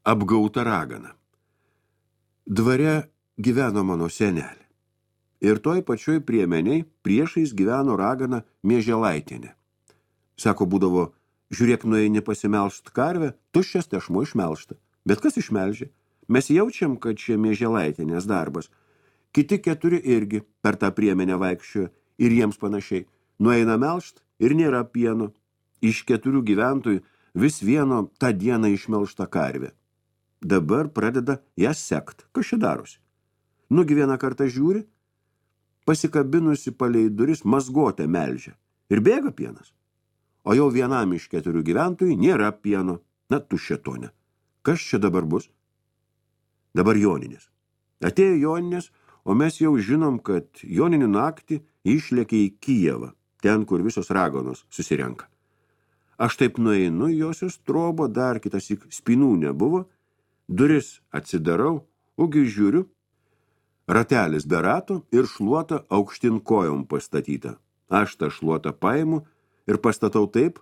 Apgauta ragana. Dvare gyveno mano senelė. Ir toj pačioj priemeniai priešais gyveno ragana Mieželaitienė. Sako, būdavo, žiūrėk, nueini pasimelšt karvę, tuščias tešmo išmelšta. Bet kas išmelžė? Mes jaučiam, kad čia Mieželaitienės darbas. Kiti 4 irgi per tą priemenę vaikščiojo ir jiems panašiai. Nueina melšt ir nėra pieno. Iš 4 gyventojų vis vieno tą dieną išmelšta karvė. Dabar pradeda ją sekt. Kas čia darosi? Nugi vieną kartą žiūri, pasikabinusi palei duris mazgotę melžia. Ir bėga pienas. O jau vienam iš 4 gyventojų nėra pieno. Na, tuščiatone. Kas čia dabar bus? Dabar Joninės. Atėjo Joninės, o mes jau žinom, kad Joninių naktį išlėkė į Kijevą, ten, kur visos raganos susirenka. Aš taip nueinu į josios trobą, dar kitassyk spynų nebuvo, duris atsidarau, ogi žiūriu, ratelis be rato ir šluota aukštin kojom pastatyta. Aš tą šluotą paimu ir pastatau taip,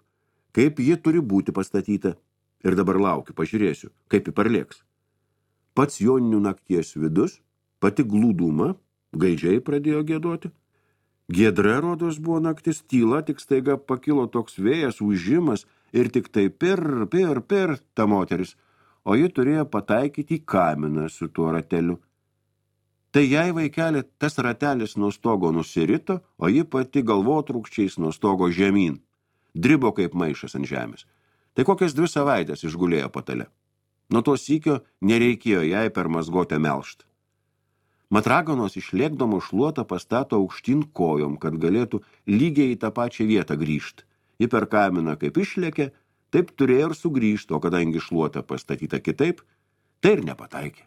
kaip ji turi būti pastatyta. Ir dabar laukiu, pažiūrėsiu, kaip ji parlėks. Pats Joninių nakties vidus, pati glūduma, gaidžiai pradėjo giedoti. Giedra, rodos, buvo naktis, tyla, tik staiga pakilo toks vėjas, ūžimas ir tik tai per ta moteris, o ji turėjo pataikyti į kaminą su tuo rateliu. Tai jai, vaikelė, tas ratelis nuo stogo nusirito, o ji pati galvotrūkščiais nuo stogo žemyn. Dribo kaip maišas ant žemės. Tai kokias 2 savaitės išgulėjo patale. Nuo to sykio nereikėjo jai per mazgotę melšt. Mat raganos išlėkdamo šluotą pastato aukštyn kojom, kad galėtų lygiai į tą pačią vietą grįžt. Ji per kaminą kaip išlėkė, taip turėjo ir sugrįžt, o kadangi šluota pastatyta kitaip, tai ir nepataikė.